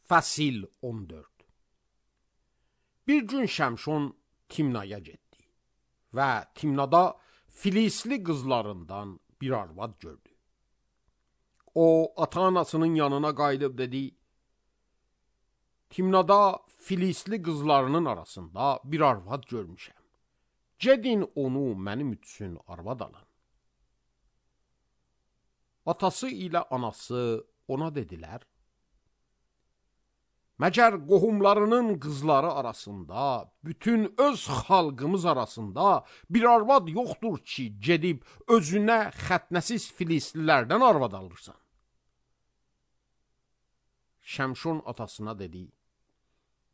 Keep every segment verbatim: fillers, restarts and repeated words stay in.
Fəsil on dörd. Bir gün Şəmşon Timnaya getdi və Timnada Filisli qızlarından bir arvad gördü. O, ata-anasının yanına qayıdıb dedi, Timnada Filisli qızlarının arasında bir arvad görmüşəm. Gedin onu mənim üçün arvad alın. Atası ilə anası ona dedilər, Məgər qohumlarının qızları arasında, bütün öz xalqımız arasında bir arvad yoxdur ki, gedib özünə xətnəsiz Filislilərdən arvad alırsan. Şəmşon atasına dedi,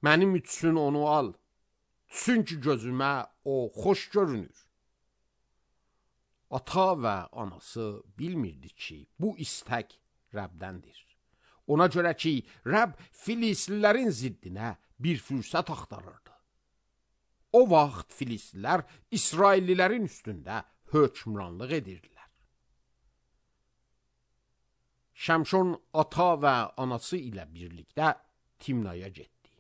mənim üçün onu al, çünki gözümə o xoş görünür. Ata və anası bilmirdi ki, bu istək Rəbdəndir. Ona görə ki, Rəbb Filislilərin ziddinə bir fürsət axtarırdı. O vaxt Filistlilər İsraillilərin üstündə hökmranlıq edirdilər. Şəmşon ata və anası ilə birlikdə Timnaya getdi.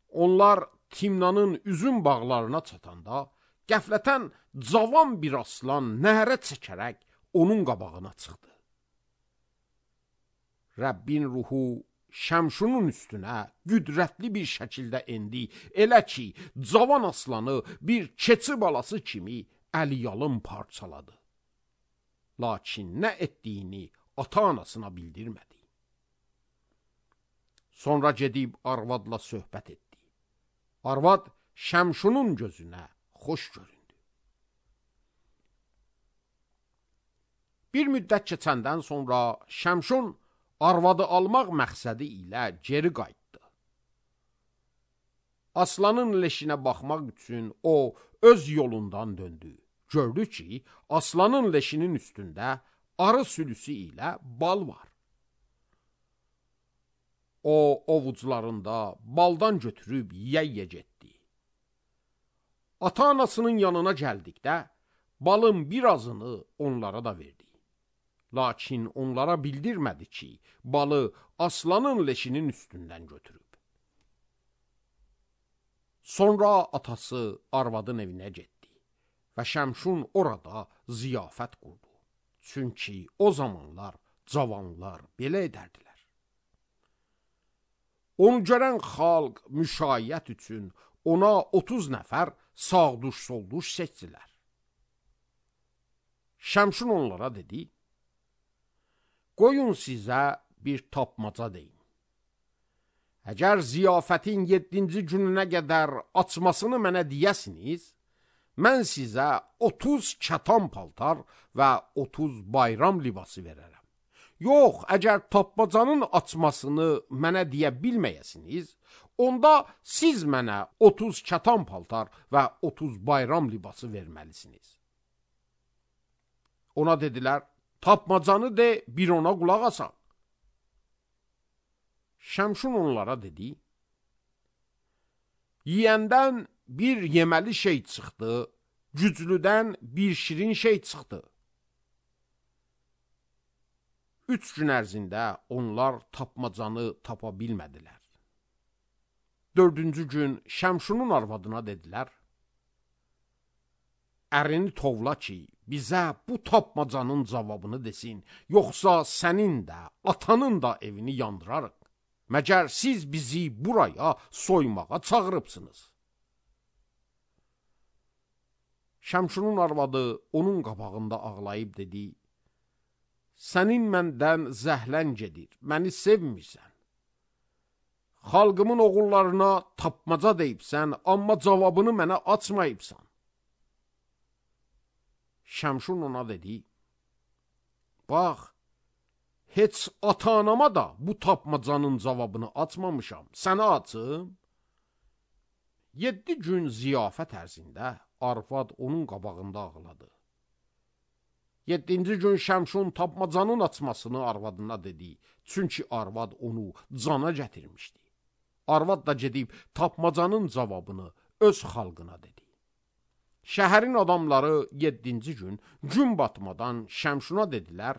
Onlar Timnanın üzüm bağlarına çatanda, qəflətən cavan bir aslan nəhərə çəkərək onun qabağına çıxdı. Rəbbin ruhu Şəmşonun üstünə qüdrətli bir şəkildə endi, elə ki, cavan aslanı bir keçi balası kimi əliyalın parçaladı. Lakin nə etdiyini ata-anasına bildirmədi. Sonra gedib arvadla söhbət etdi. Arvad Şəmşonun gözünə xoş göründü. Bir müddət keçəndən sonra Şəmşon arvadı almaq məqsədi ilə geri qayıtdı. Aslanın leşinə baxmaq üçün o öz yolundan döndü. Gördü ki, aslanın leşinin üstündə arı sülüsü ilə bal var. O, ovucularında baldan götürüb yeyə getdi. Ata-anasının yanına gəldikdə, balın birazını onlara da verdi. Lakin onlara bildirmədi ki, balı aslanın leşinin üstündən götürüb. Sonra atası arvadın evinə getdi və Şəmşon orada ziyafət qurdu. Çünki o zamanlar cavanlar belə edərdilər. Onu görən xalq müşayiət üçün ona otuz nəfər sağduş-solduş seçdilər. Şəmşon onlara dedi, Qoyun sizə bir tapmaca deyim. Əgər ziyafətin yeddinci gününə qədər açmasını mənə deyəsiniz, mən sizə otuz kətan paltar və otuz bayram libası verərəm. Yox, əgər tapmacanın açmasını mənə deyə bilməyəsiniz, onda siz mənə otuz kətan paltar və otuz bayram libası verməlisiniz. Ona dedilər, tapmacanı de, bir ona qulaq asan. Şəmşon onlara dedi, yiyəndən bir yeməli şey çıxdı, güclüdən bir şirin şey çıxdı. Üç gün ərzində onlar tapmacanı tapa bilmədilər. Dördüncü gün Şəmşonun arvadına dedilər, ərini tovla ki, bizə bu tapmacanın cavabını desin, yoxsa sənin də, atanın da evini yandırarıq. Məgər siz bizi buraya soymağa çağırıbsınız. Şəmşonun arvadı onun qabağında ağlayıb dedi, sənin məndən zəhlən gedir, məni sevmirsən. Xalqımın oğullarına tapmaca deyibsən, amma cavabını mənə açmayıbsan. Şəmşon ona dedi, bax, heç ata-anama da bu tapmacanın cavabını açmamışam, sənə açım. Yeddi gün ziyafət ərzində arvad onun qabağında ağladı. Yeddinci gün Şəmşon tapmacanın açmasını arvadına dedi, çünki arvad onu cana gətirmişdi. Arvad da gedib tapmacanın cavabını öz xalqına dedi. Şəhərin adamları yeddinci gün gün batmadan Şəmşona dedilər,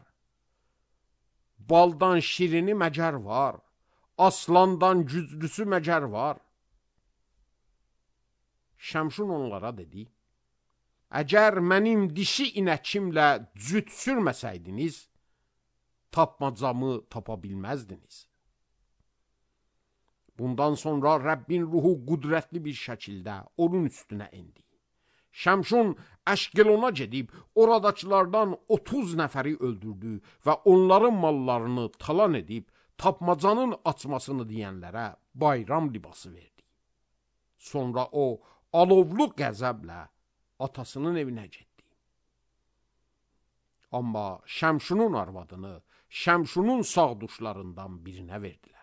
baldan şirini məgər var, aslandan güclüsü məcər var? Şəmşun onlara dedi, əgər mənim dişi inəkimlə cüt sürməsəydiniz, tapmacamı tapa bilməzdiniz. Bundan sonra Rəbbin ruhu qudrətli bir şəkildə onun üstünə indi. Şəmşun Əşqelona gedib, oradakılardan otuz nəfəri öldürdü və onların mallarını talan edib, tapmacanın açmasını deyənlərə bayram libası verdi. Sonra o, alovlu qəzəblə atasının evinə getdi. Amma Şəmşunun arvadını Şəmşunun sağduşlarından birinə verdilər.